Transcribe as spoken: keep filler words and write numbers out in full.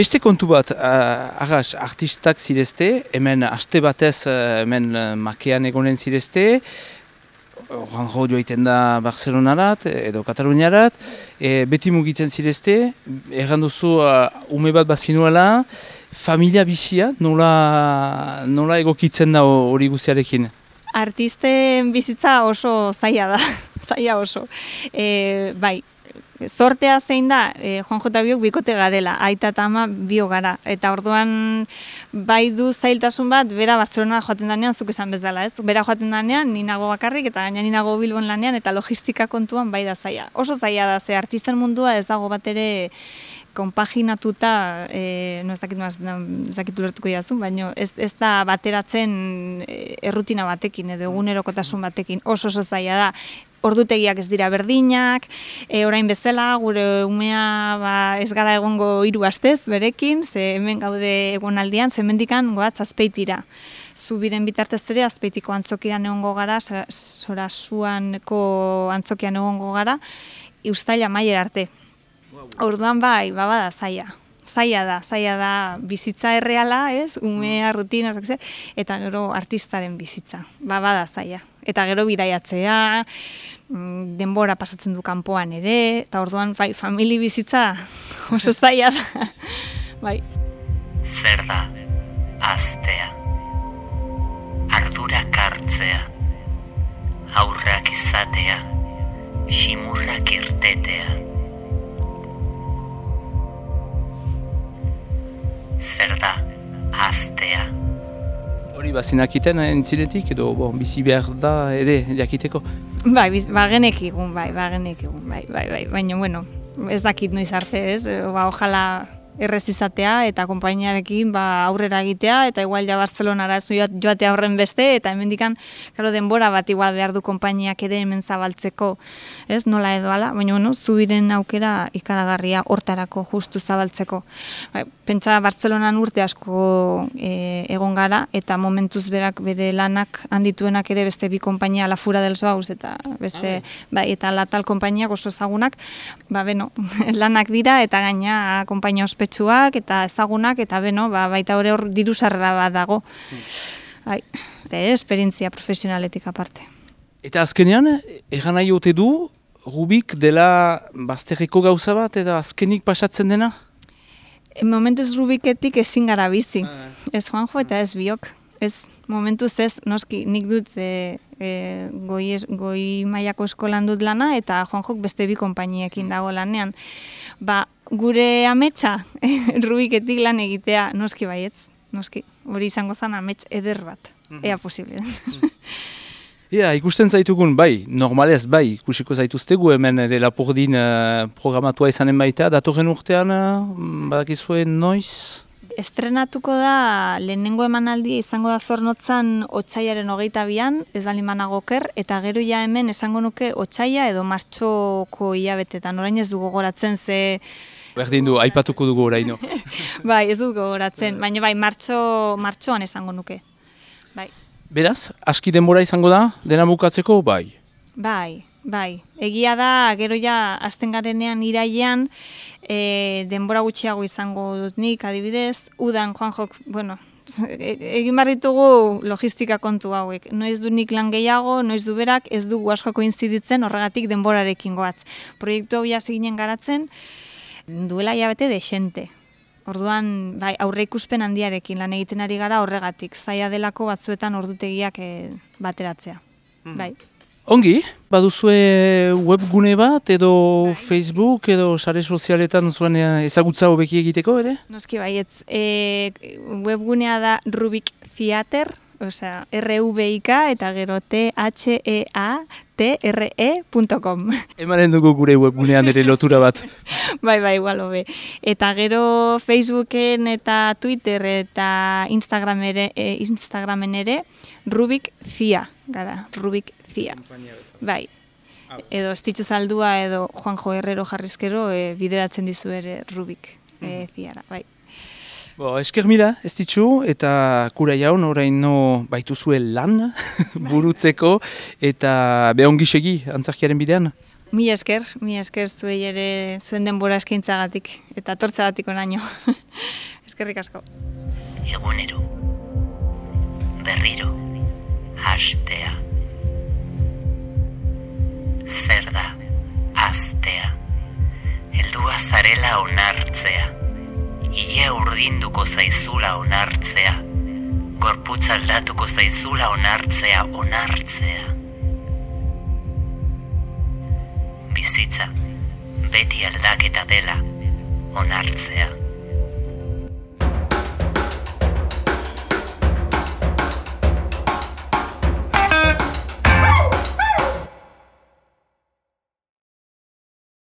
beste kontu bat, uh, arras, artistak zirezte, hemen aste batez, uh, hemen uh, makean egonen zirezte, Juanjo joaiten da Barcelonarat edo Kataluniarat, e, beti mugitzen zirezte, erran duzu uh, ume bat bazinuela, familia bizia, nola, nola egokitzen da hori guztiarekin? Artisten bizitza oso zaila da, zaila oso. E, bai, sortea zein da, e, Juanjo eta biok bikote garela, aita eta ama bio gara. Eta orduan bai du zailtasun bat, bera Barcelona joaten danean, zuk esan bezala, ez? Bera joaten danean, ninago bakarrik, eta gaina ninago Bilbon lanean, eta logistika kontuan bai da zaila. Oso zaila da, ze artisten mundua ez dago bat ere konpaginatuta, e, no ez dakit maz, ez dakit ulertuko diazu, baina ez, ez da bateratzen errutina batekin, edo egunerokotasun batekin, oso oso zaila da. Ordutegiak ez dira berdinak, e, orain bezala, gure umea ba, ez gara egongo hiru astez berekin, ze hemen gaude egonaldian, ze hemendikan goatz Azpeitira. Zubiren bitartez ere Azpeitiko antzokian egongo gara, Sorasuaneko antzokian egongo gara, uztaila maier arte. Orduan bai, bada zaila. Zaila da, zaila da bizitza erreala, ez? Umea, rutina, eta gero artistaren bizitza. Ba, bada zaila. Eta gero bidaiatzea, denbora pasatzen du kanpoan ere, eta orduan bai, famili bizitza oso zaila da. Bai. Zer da, aztea, ardurak hartzea, aurrak izatea, ximurrak irtetea. Zer da, aztea. Hori bazinakiten entzinetik edo bon, bizi behar da ere jakiteko? Bai, ba genekigun, bai, ba genekigun, bai, bai, bai, baina, bueno, ez dakit noiz arte, ez, ba, ojala errez izatea eta konpainiarekin ba, aurrera egitea, eta igual ja Barcelonara joatea horren beste, eta hemendikan, claro, denbora bat igual behar du konpainiak ere hemen zabaltzeko, ez, nola edo ala, baina, bueno, zubiren aukera ikaragarria hortarako justu zabaltzeko. Ba, pentsa Bartzelonan urte asko e, egon gara, eta momentuz berak bere lanak handituenak ere beste bi konpainia, La Fura dels Baus, eta beste, bai, eta la tal konpainiak oso ezagunak, ba, beno, lanak dira, eta gaina konpainia ospetsuak, eta ezagunak, eta beno, ba, baita hori hor diru sarrera bat dago. Bai, eta esperientzia profesionaletik aparte. Eta azkenean, egan nahi ote du, Rubik dela bazterreko gauza bat, eta azkenik pasatzen dena? Momentuz Rubiketik ezin gara bizi. Ez Juanjo eta ez biok. Ez, momentuz ez, noski, nik dut e, e, goi, goi mailako eskolan dut lana, eta Juanjok beste bi konpainiekin dago lanean. Ba, gure ametsa, Rubiketik lan egitea, noski baietz, noski. Hori izango zen amets eder bat, ea posible. Ja, ikusten zaitugun, bai, normalez, bai, ikusiko zaituztegu hemen ere Lapurdin uh, programatua izanen baita, datorren urtean, uh, badakizuen noiz? Estrenatuko da, lehenengo emanaldia izango da Zornotzan otsailaren hogeita bian, ez da limanago oker, eta gero ja hemen esango nuke otsaila edo martxoko hilabetetan, orain ez du gogoratzen ze... Berdin du, aipatuko dugu oraino. Bai, ez du gogoratzen, baina bai, martxo, martxoan esango nuke, bai. Beraz, aski denbora izango da, dena bukatzeko, bai? Bai, bai. Egia da, gero ja, azten garenean irailean, e, denbora gutxiago izango dut nik, adibidez, udan, Juanjok, bueno, egin behar ditugu logistika kontu hauek. Noiz du nik lan gehiago, noiz du berak, ez dugu asko koinziditzen, horregatik denborarekin goatz. Proiektu hau ginen garatzen, duela hilabete dexente. Orduan, bai, aurre ikuspen handiarekin lan egiten ari gara horregatik, zaila delako batzuetan ordutegiak e, bateratzea. Mm. Bai. Ongi, baduzue webgune bat edo bai. Facebook edo sare sozialetan zuen ezagutza hobeki egiteko, ere? Noski baietz, e, webgunea da Rubik Theater, osea, R V I K eta gero T H E A T R E punto com. Emanen dugu gure webgunean ere lotura bat. Bai, bai, igual hobe. Eta gero Facebooken eta Twitter eta Instagram ere, e, Instagramen ere Rubik Zia, gara, Rubik Zia. Bai. Edo Estitxu Zaldua edo Juanjo Herrero jarrizkero e, bideratzen dizu ere Rubik e, Ziara, bai. Bo, esker mila, ez ditxu, eta kura jaun, orain no baituzue lan burutzeko, eta behongi segi, antzarkiaren bidean? Mi esker, mi esker zuei ere zuen denbora eskaintzagatik eta tortzagatik onaino. Eskerrik asko. Egunero, berriro, hastea. Zer da, aztea. Heldua zarela onartzea. Ile urdinduko zaizula onartzea. Gorputz aldatuko zaizula onartzea, onartzea. Bizitza, beti aldaketa dela,